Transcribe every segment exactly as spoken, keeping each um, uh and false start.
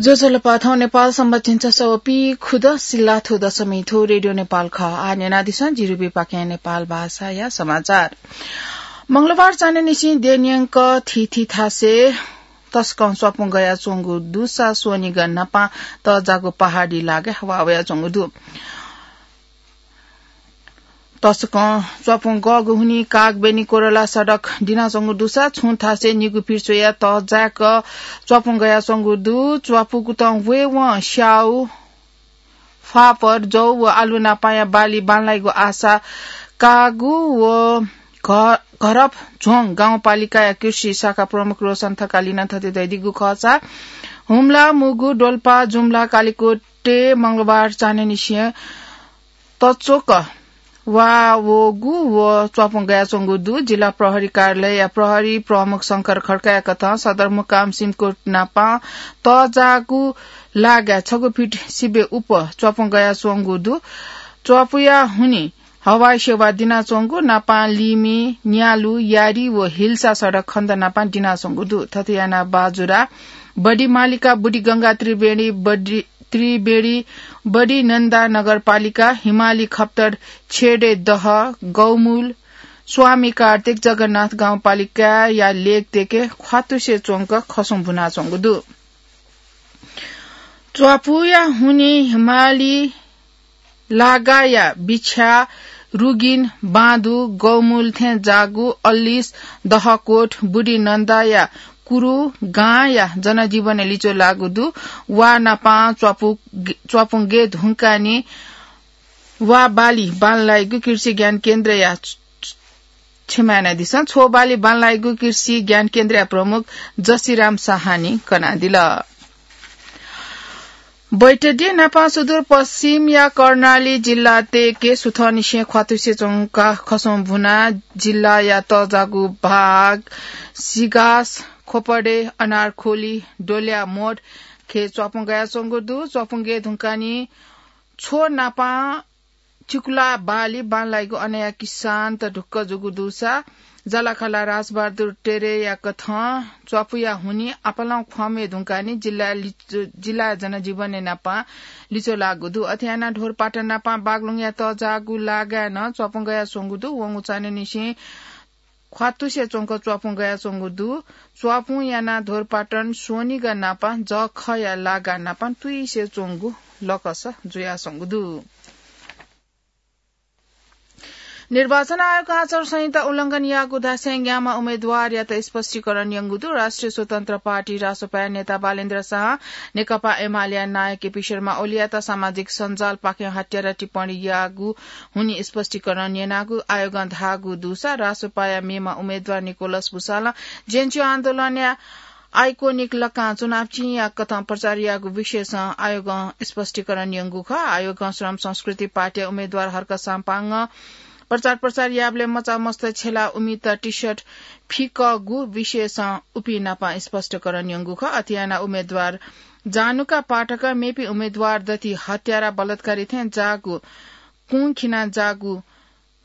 ज्वजलपा, थौं नेपाल संवत झिंछसः व पीखुदँ सिल्लाथ्व दशमी थ्व रेडियो नेपाल खः। आः न्यनादिसँ जिरुबीपाखें नेपाल भाषाया समाचार। मंगलबार चान्हय्‌निसें देय्‌न्यंक थीथी थासय् तसकं च्वापुं गयाच्वंगु दुसा स्वनिगः न्हापां तःजाःगु पहाडी लागाय् हवा वयाच्वंगु दु। तसकं च्वापुं गःगु हुनिं कागबेनी कोरला सडक दिनाच्वंगु दुसा छुं थासय् निगू फिट स्वयाः तःजाय्‌क च्वापुं गयाच्वंगु दु। च्वापुकुतं वयेवं स्याउ, फापर, जौ व आलु नापांया बाली बांलाइगु आशा कागु व घ-, घरपझ्वं गाउँपालिकाया कृषि शाखा प्रमुख रोशन थकालीनं थथे धयादीगु खःसा हुम्ला, मुगु, डोल्पा, जुम्ला, कालिकोटय् मंगलबार चान्हय्‌निसें तच्वक वा वःगु व च्वापुं गयाच्वंगु दु। जिल्ला प्रहरी कार्यालयया प्रहरी प्रमुख शंकर खड्काया कथं सदरमुकाम सिमकोट नापां तःजाःगु लागाय् छगू फिट सिबें उप च्वापुं गयाच्वंगु दु। च्वापुया हुनिं हवाई सेवा दिनाच्वंगु नापां लिमि, न्यालु, यारी व हिल्सा सडक खण्ड नापां दिनाच्वंगु दु। थथे यानाः बाजुरा, बडिमालिका, बुडिगंगा, त्रिवेणी, बडि-, त्रिवेणी, बडिनन्दा नगरपालिका, हिमाली खप्तर, छेडे दह, गौमूल, स्वामी कार्तिक, जगन्नाथ गाउँपालिकाया लेक देके ख्वातुसे च्वंक खसुं भुनाच्वंगु दु। च्वापुया हुनिं हिमाली लागाया बिछ्या, रुगिन, बाँधु, गौमूल थें जागु, अल्लिस, दहकोट, बुढी नन्दाया कुरु गांया जनजीवन लिच्वः लाःगु दु। वा नापां च्वापु-, च्वापुं गय् धुंकानि वा बाली बांलाइगु कृषि ज्ञान केन्द्रया, क्षमा यानादिसँ, छ्वः बाली बांलाइगु कृषि ज्ञान केन्द्रया प्रमुख जसिराम शाहानी कनादिल। बैतडी नापां सुदूरपश्चिमया कर्णाली जिल्ला देके सुथंनिसें ख्वातुसे च्वंका खसुं भुना जिल्लाया तःजाःगु भाग सिगास, खोपडे, अनारखोली, डोल्या मोड खँय् च्वापुं गयाच्वंगु दु। च्वापुं गय् धुंकानि छ्वः नापां चिकुला बाली बांलाइगु अनया किसानत ढुक्क जूगु दुसा, जालाखाला राजबहादुर टेरेया कथं च्वापुया हुनिं आपालं ख्वामय् धुंकानि जिल्ला लिचु-, जिल्ला जनजीवनय् नापां लिच्वः लाःगु दु। अथे यानाः ढोरपाटन नापां बागलुङया तःजाःगु लागाय् नं च्वापुं गयाच्वंगु दु। वंगु चान्हय्‌निसें ख्वातुसे च्वंक च्वापुं गयाच्वंगु दु। च्वापुं यानाः ढोरपाटन स्वनिगः नापां जःखःया लागा नापां तुइसे च्वंगु लकस जुयाच्वंगु दु। निर्वाचन आयोगं आचार संहिता उल्लंघन याःगु धासें ग्यामा उम्मेद्वारयात स्पष्टीकरण यंगु दु। राष्ट्रिय स्वतन्त्र पार्टी रासोपाया नेता बालेन्द्र शाहं नेकपा एमालेया नायः केपी शर्मा ओलीयात सामाजिक सञ्जालपाखें हत्यारा टिप्पणी याःगु हुनिं स्पष्टीकरण यनागु आयोगं धाःगु दुसा रासोपाया मेम्ह उम्मेद्वार निकोलस भुसालं जेएनयू आन्दोलनया आइकोनिक लकां चुनाव चिंया कथं प्रचार याःगु विषयसं आयोगं स्पष्टीकरण यंगु खः। आयोगं श्रम संस्कृति पार्टीया उम्मेद्वार हर्क साम्पाङं प्रचार प्रसार याःबलय् मचा मस्त छेला उमित टी-शर्ट फिकःगु विषयसं उपिं नाप स्पष्टीकरण यंगु खः। अथे यानाः उम्मेद्वार जानुका पाठकं मेपिं उम्मेद्वार दथि हत्यारा बलात्कारी थें जाःगु कुं खिना जाःगु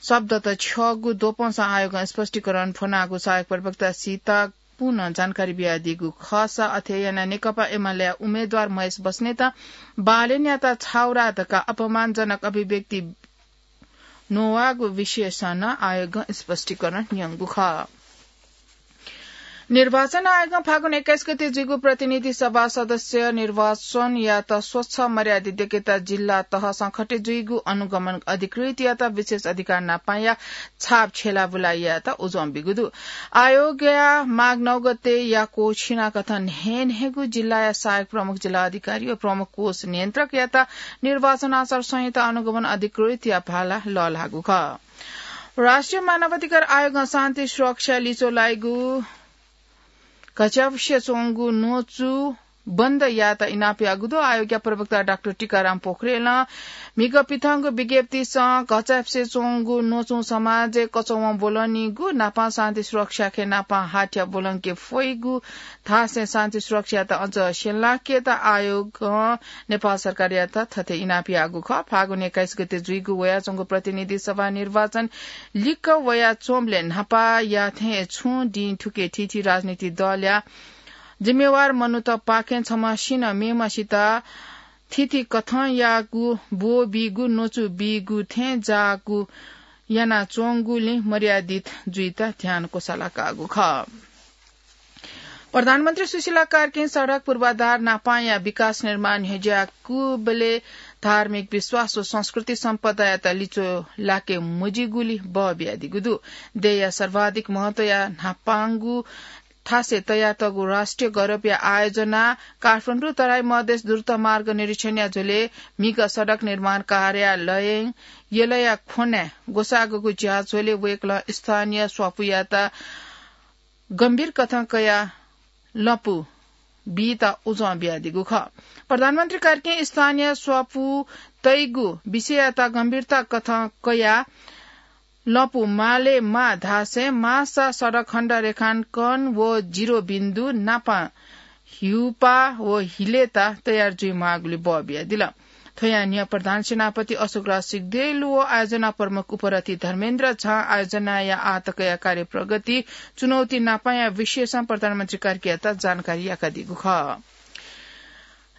शब्दत छ्यःगु द्वपंसं आयोगं स्पष्टीकरण फ्वनागु सहायक प्रवक्ता सीता पुनं जानकारी बियादीगु खःसा अथे यानाः नेकपा एमालेया उम्मेद्वार महेश बस्नेतं बालेनयात छाउरा धकाः अपमानजनक अभिव्यक्ति न्ववाःगु विषयसं नं आयोगं स्पष्टीकरण यंगु खः। निर्वाचन आयोगं फागुन एक्काइस गते जुइगु प्रतिनिधि सभा सदस्य निर्वाचनयात स्वच्छ मर्यादित देकेत जिल्ला तहसं खटे जुइगु अनुगमन अधिकृतयात विशेष अधिकार नापांया छाप छ्यलाबुला यायेत उजं बिगु दु। आयोगया माघ नौ गते याक्व छिनाकथं न्हय्न्हय्गु जिल्लाया सहायक प्रमुख जिल्ला अधिकारी व प्रमुख कोष नियन्त्रकयात निर्वाचन आचार संहिता अनुगमन अधिकृतया भाला लःल्हाःगु खः। राष्ट्रिय मानवाधिकार आयोगं शान्ति सुरक्षा लिच्वः लाइगु घच्यापुसे च्वंगु न्वचु बन्द यायेत इनाप याःगु दु। आयोगया प्रवक्ता डाक्टर टीकाराम पोखरेलं म्हिगः पिथंगु विज्ञप्तिसं घचाय्पुसे च्वंगु न्वचुं समाजय् कचवं ब्वलनीगु नापं शान्ति सुरक्षाखे नापं हाथ्या ब्वलंके फइगु धासें शान्ति सुरक्षायात अझ स्यंलाकेत आयोगं नेपाल सरकारयात थथे इनाप याःगु खः। फागुन एक्काइस गते जुइगु वयाच्वंगु प्रतिनिधि सभा निर्वाचन लिक्क वयाच्वंबलय् न्हापायाथें छुं दिं थुके थीथी राजनीतिक दलया जिम्मेवार मनूतपाखें छम्हसिनं मेम्हसित थीथी कथंयागु ब्वःबीगु, न्वचु बीगु थें जाःगु यानाच्वंगुलिं मर्यादित जुइत ध्यान क्वसालाकागु खः। प्रधानमन्त्री सुशीला कार्कीं सडक पूर्वाधार नापांया विकास निर्माण न्ह्यज्याकूबलय् धार्मिक विश्वास व संस्कृति सम्पदायात लिच्वः लाके मजिगुलि बः बियादीगु दु। देय्‌या सर्वाधिक महत्वया न्हापांगु थासय् तयातःगु राष्ट्रिय गौरवया आयोजना काठमाडौं तराई मधेस द्रुत मार्ग निरीक्षणया झ्वलय् म्हिगः सडक निर्माण कार्यालयं यलया ख्वनाय् ग्वसाःगु ज्या झ्वलय् वय्‌कलं स्थानीय स्वापूयात गम्भीर कथं कयाः लँपु बीत उजं बियादीगु खः। प्रधानमन्त्री कार्कीं स्थानीय स्वापू तइगु विषययात गम्भीरता कथं कयाः लँपु माले माः धासें माःसा सडक खण्ड रेखांकन व जिरो बिन्दु नापं हिउपा व हिलेता तयार जुइमाःगुलि बः बियादिल। थ्वया न्ह्यः प्रधान सेनापति अशोकराज सिग्देल व आयोजना प्रमुख उपरथी धर्मेन्द्र झां आयोजनाया आःतकया कार्यप्रगति, चुनौती नापांया विषयसं प्रधानमन्त्री कार्कीयात जानकारी याकादीगु खः।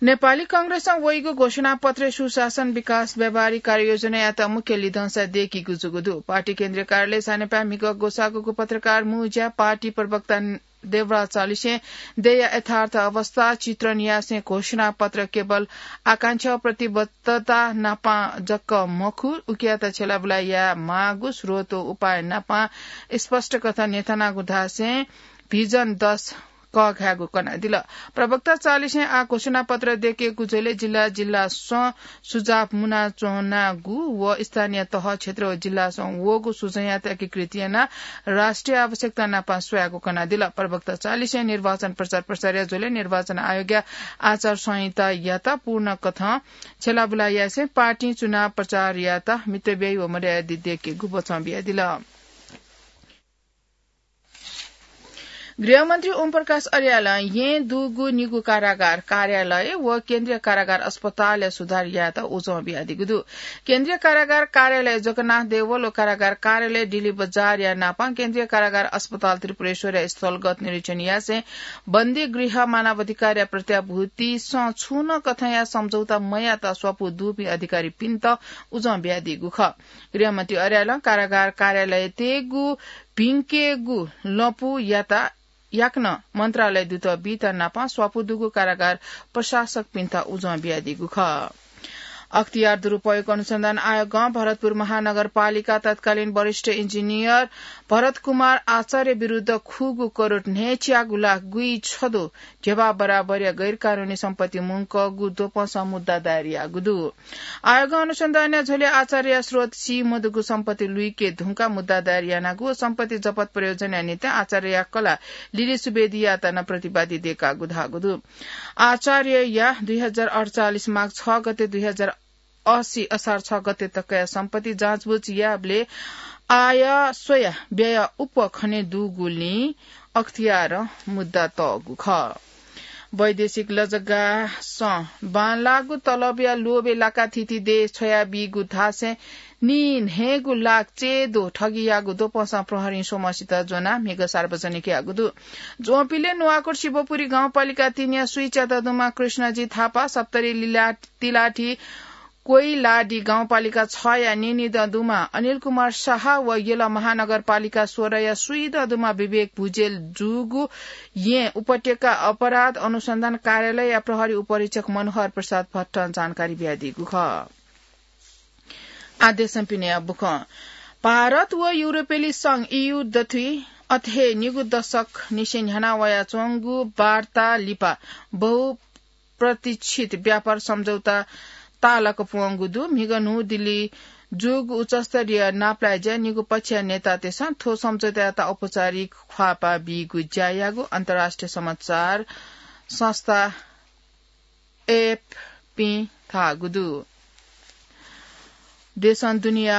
नेपाली कांग्रेसं वइगु घोषणापत्रय् सुशासन, विकास, व्यावहारिक कार्ययोजनायात मुख्य लिधंसा दय्‌कीगु जूगु दु। पार्टी केन्द्रीय कार्यालय सानेपाय् म्हिगः ग्वसाःगु पत्रकार मुँज्या पार्टी प्रवक्ता देवराज चालिसें देय्‌या यथार्थ अवस्था चित्रण यासें घोषणापत्र केवल आकांक्षा व प्रतिबद्धता नापं जक मखु, उकियात छ्यलाबुला यायेमाःगु स्रोत व उपाय नापं स्पष्ट कथं न्ह्यथनागु धासें भिजन दस कःघायेगु कनादिल। प्रवक्ता चालिसें आः घोषणापत्र दय्‌केगु झ्वलय् जिल्ला जिल्लासं सुझाव मुनाच्वनागु व स्थानीय तह, क्षेत्र व जिल्लासं वःगु सुझावयात एकीकृत यानाः राष्ट्रिय आवश्यकता नापं स्वयागु कनादिल। प्रवक्ता चालिसें निर्वाचन प्रचार प्रसारया झ्वलय् निर्वाचन आयोगया आचार संहितायात पूर्ण कथं छ्यलाबुला यासें पार्टीं चुनाव प्रचारयात मितव्ययी व मर्यादित दय्‌केगु बचं बियादिल। गृहमन्त्री ओम प्रकाश अर्यालं येँ दुगु निगू कारागार कार्यालय व केन्द्रीय कारागार अस्पतालया सुधार यायेत उजं बियादीगु दु। केन्द्रीय कारागार कार्यालय जगन्नाथ देवल व कारागार कार्यालय डिल्ली बजारया नापं केन्द्रीय कारागार अस्पताल त्रिपुरेश्वरया स्थलगत निरीक्षण यासें बन्दी गृह मानवाधिकारया प्रत्याभूतिसं छुं नं कथंया सम्झौता मयात स्वापू दुपिं अधिकारीपिन्त उजं बियादीगु खः। गृहमन्त्री अर्यालं कारागार कार्यालय तयेगु भिंकेगु लँपुयात याकनं मन्त्रालय दुत बीत नापं स्वापू दुगु कारागार प्रशासकपिन्त उजं बियादीगु खः। अख्तियार दुरुपयोग अनुसन्धान आयोगं भरतपुर महानगरपालिका तत्कालीन वरिष्ठ इन्जिनियर भरत कुमार आचार्य विरुद्ध खुगू करोड न्हय्‌च्यागु लाख गुइछ दु ध्यबा बराबरया गैरकानूनी सम्पत्ति मुंकःगु द्वपंसं मुद्दा दायर याःगु दु। आयोगं अनुसन्धानया झ्वलय् आचार्यया स्रोत सी मदुगु सम्पत्ति लुइके धुंकाः मुद्दा दायर यानागु व सम्पत्ति जफत प्रयोजनया निंतिं आचार्यया कलाः लिली सुवेदीयात नं प्रतिवादी दय्‌कागु धाःगु दु। आचार्यया दुई हजार अठचालिस माघ छ गते दुई हजार अस्सी असार छ गते तकया सम्पत्ति जाँचबुझ याःबलय् आय स्वयाः व्यय उप खने दुगुलिं अख्तियारं मुद्दा तःगु खः। वैदेशिक लजगासं बांलाःगु तलबया लोभय् लाकाः थीथी देश छ्वयाबीगु धासें नीन्हय्‌गू लाख चय्‌द्वः ठगीयागु द्वपंसं प्रहरीं स्वम्हसित ज्वनाः म्हिगः सार्वजनिक याःगु दु। ज्वंपिलय् नुवाकोट शिवपुरी गाउँपालिका तीनया स्वीच्यादँ दुम्ह कृष्णजी थापा, सप्तरी लिला-, तिलाठी कोइलाडी गाउँपालिका छया नीनिदँ दुम्ह अनिल कुमार शाह व यल महानगरपालिका सोह्रया स्वीदँ दुम्ह विवेक भुजेल जूगु येँ उपत्यका अपराध अनुसन्धान कार्यालयया प्रहरी उपरीक्षक मनोहर प्रसाद भट्टं जानकारी बियादीगु खः। आः देशं पिनेया बुखँ। भारत व युरोपेली संघ, ईयू दथुइ अथे हे निगू दशक निसें न्ह्याना वयाच्वंगु वार्ता लिपा बहु प्रतीक्षित व्यापार सम्झौता तालक प्वंगु दु। म्हिगः न्हू दिल्ली जूगु उच्चस्तरीय नापलाये ज्या निगू पक्षया नेतातय्‌सं थ्व सम्झौतायात औपचारिक ख्वाःपाः बीगु ज्या याःगु अन्तर्राष्ट्रिय समाचार संस्था एएफपीं धाःगु दु। देशं दुनिया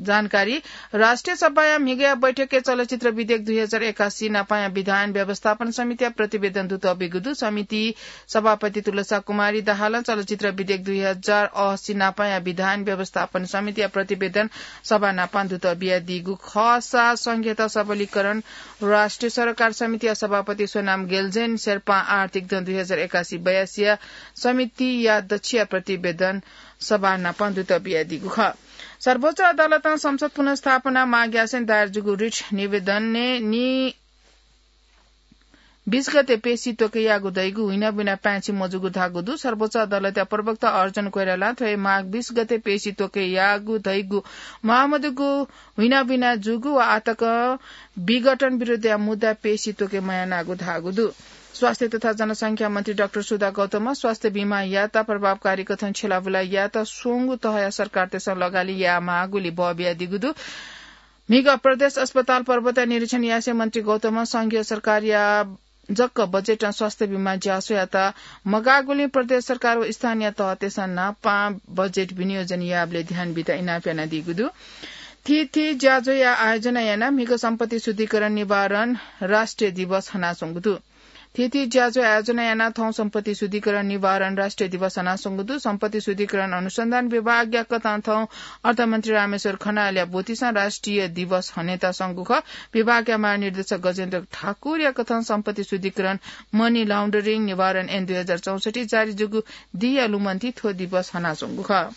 जानकारी। राष्ट्रिय सभाया म्हिगया बैठकय् चलचित्र विधेयक दुई हजार एकासी नापाया विधान व्यवस्थापन समितिया प्रतिवेदन दुत बिगु दु। समिति सभापति तुलसा कुमारी दाहालं चलचित्र विधेयक दुई हजार असी नापाया विधान व्यवस्थापन समितिया प्रतिवेदन सभा नापां दुत बियादीगु खःसा संघीयता सबलीकरण राष्ट्रिय सरोकार समितिया सभापति सोनाम गेल्जेन शेर्पां आर्थिक दँ दुई हजार एकासी बयासीया समितिया दच्छिया प्रतिवेदन सभा नापां दुत बियादीगु खः। सर्वोच्च अदालतं संसद पुनर्स्थापना माग यासें दायर जूगु रिट निवेदनय् नि बीस गते पेशी त्वके याःगु धइगु हुइनाबिना पाय्छि मजूगु धाःगु दु। सर्वोच्च अदालतया प्रवक्ता अर्जुन कोइरालां थ्व हे माग बीस गते पेशी त्वके याःगु धइगु महामदुगु हुइनाबिना जूगु व आतक विघटन विरुद्धया मुद्दा पेशी त्वके मयानागु धाःगु दु। स्वास्थ्य तथा जनसंख्या मन्त्री डाक्टर सुधा गौतमं स्वास्थ्य बीमा यात प्रभावकारी कथं छ्यलाबुला यात स्वंगू तहया सरकारतय्सं लगाली यायेमाःगुली बः बियादीगु दु। म्हिगः प्रदेश अस्पताल पर्वतया निरीक्षण यासें मन्त्री गौतमं संघीय सरकारया जक्क बजेटं स्वास्थ्य बीमा ज्यासोयात मगाःगुलिं प्रदेश सरकार व स्थानीय तहतय्सं नापां बजेट विनियोजन यायेबलय् ध्यान बीत इनाप यानादीगु दु। थीथी ज्याझ्वःया आयोजना यानाः म्हिगः सम्पत्ति शुद्धिकरण निवारण राष्ट्रिय दिवस हनाच्वंगु दु। थीथी ज्याझ्वः आयोजना यानाः थौं सम्पत्ति शुद्धिकरण निवारण राष्ट्रिय दिवस हनाच्वंगु दु। सम्पत्ति शुद्धिकरण अनुसन्धान विभागया कथं थौं अर्थमन्त्री रामेश्वर खनालया ब्वतिसं राष्ट्रिय दिवस हनेत संगु खः। विभागया महानिर्देशक गजेन्द्र ठाकुरया कथं सम्पत्ति शुद्धिकरण, मनी लाउन्डरिङ निवारण ऐन दुई हजार चौसठी जारी जूगु दिया लुमन्ति थ्व दिवस हनाच्वंगु खः।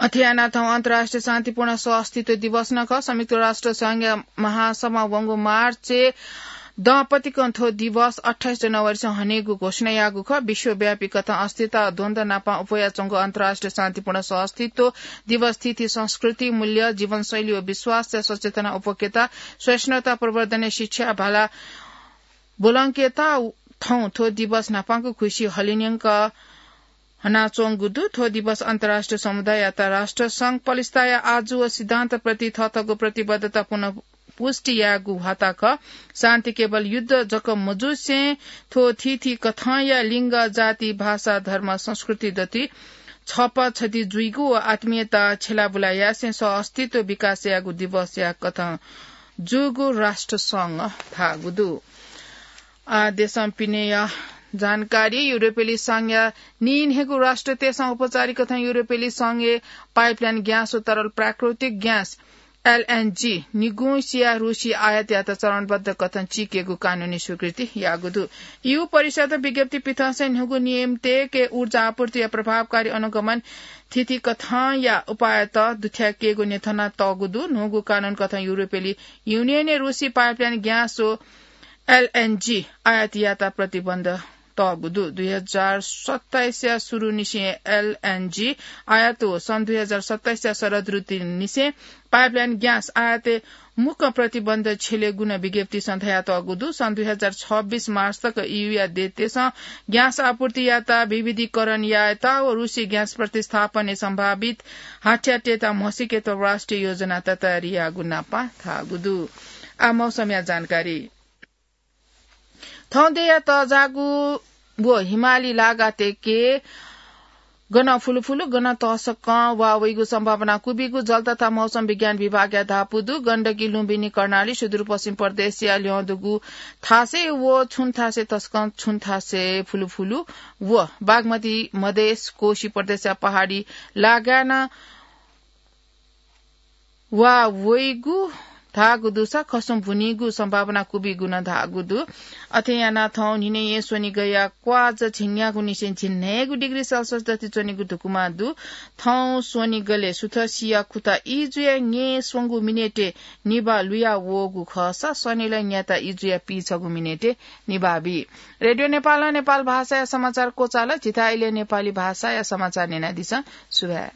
अथे यानाः थौं अन्तर्राष्ट्रिय शान्तिपूर्ण सहअस्तित्व दिवस नं खः। संयुक्त राष्ट्र संघया महासभा वंगु मार्चय् दँपतिकं थ्व दिवस अट्ठाइस जनवरीसं हनेगु घोषणा याःगु खः। विश्वव्यापी कथं अस्थिरता व द्वन्द्व नापं उप्वयाच्वंगु अन्तर्राष्ट्रिय शान्तिपूर्ण सहअस्तित्व दिवस थीथी संस्कृति, मूल्य, जीवनशैली व विश्वासया सचेतना उप्वकेत, सहिष्णुता प्रवर्धनय् शिक्षा भाला ब्वलंकेत थौं थ्व दिवस न्हापांगु खुसि हलिन्यंक हनाच्वंगु दु। थ्व दिवस अन्तर्राष्ट्रिय समुदाययात राष्ट्रसंघ पलिस्ताया आजु व सिद्धान्तप्रति थःथःगु प्रतिबद्धता पुनः पुष्टि यायेगु ह्वाता खः। शान्ति केवल युद्ध जक मजुसें थ्व थीथी कथंया लिङ्ग, जाति, भाषा, धर्म, संस्कृति दति छपा छति जुइगु व आत्मीयता छ्यलाबुला यासें सहअस्तित्व विकास यायेगु दिवसया कथं जूगु राष्ट्रसंघं धाःगु दु। आ, देशं पिनेया जानकारी। युरोपेली संघया नीन्हय्गू राष्ट्रतय्सं औपचारिक कथं युरोपेली संघय् पाइपलाइन ग्यास व तरल प्राकृतिक ग्यास, एलएनजी, निगुंसिया रुसी आयात यायेत चरणबद्ध कथं चीकेगु कानूनी स्वीकृति याःगु दु। ईयू परिषदं विज्ञप्ति पिथंसें न्हूगु नियमतय्के ऊर्जा आपूर्तिया प्रभावकारी अनुगमन थीथी कथंया उपायत दुथ्याकेगु न्ह्यथना तःगु दु। न्हूगु कानून कथं युरोपेली युनियनय् रुसी पाइपलाइन ग्यास व एलएनजी आयात यायेत प्रतिबन्ध तःगु दु। दुई हजार सत्ताइसया सुरुनिसें एलएनजी आयात व सन् दुई हजार सत्ताइसया शरद ऋतुनिसें पाइपलाइन ग्यास आयातय् मुक्कं प्रतिबन्ध छ्यलेगु नं विज्ञप्तिसं धयातःगु दु। सन् दुई हजार छब्बिस मार्च तक ईयूया देशतय्सं ग्यास आपूर्ति यायेत विविधीकरण यायेत व रुसी ग्यास प्रतिस्थापनय् सम्भावित हाथ्याट्यता म्हसीकेत राष्ट्रिय योजनात तयारी याःगु नापं धाःगु दु। आ, मौसमया जानकारी। थौं देय्या तःजाःगु व हिमाली लागातय्के गनं फुलुफुलु, गनं तसकं वा वइगु सम्भावना क्वबिगु जल तथा मौसम विज्ञान विभागया धापू दु। गण्डकी, लुम्बिनी, कर्णाली, सुदूरपश्चिम प्रदेशया ल्यं दुगु थासय् व छुं थासय् तसकं छुं थासय् फुलुफुलु व बागमती, मधेस, कोशी प्रदेशया पहाडी लागाय् नं वा वइगु धाःगु दुसा खसुं बुनीगु सम्भावना क्वबिगु नं धाःगु दु। अथे यानाः थौं न्हिनय् स्वनिगःया क्वाः झिंन्यागूनिसें झिंन्हय्गू डिग्री सेल्सियस दति च्वनेगु धुकुमा दु। थौं स्वनिगलय् सुथसिया खुता ई जुयाः न्यय् स्वंगू मिनेटय् निभाः लुया वःगु खःसा सनिलय् न्याता ई जुयाः पीछगू मिनेटय् निभाः बी। रेडियो नेपालं नेपाल भाषाया समाचार क्वचाल। झीथाय् इलय् नेपाली भाषाया समाचार न्यनादिसँ। सुभाय्।